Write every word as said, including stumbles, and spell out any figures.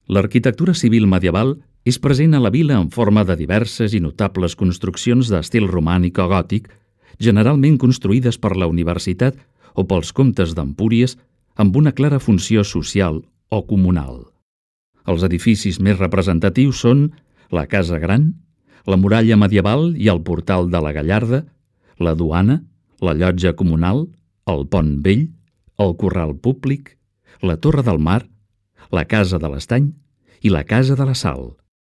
L'arquitectura civil medieval és present a la vila en forma de diverses i notables construccions d'estil romànic o gòtic, generalment construïdes per la universitat o pels comtes d'Empúries amb una clara funció social o comunal. Els edificis més representatius són la Casa Gran, la muralla medieval i el portal de la Gallarda, la duana, la llotja comunal, el pont vell, el corral públic, la torre del mar, la casa de l'Estany i la casa de la Sal.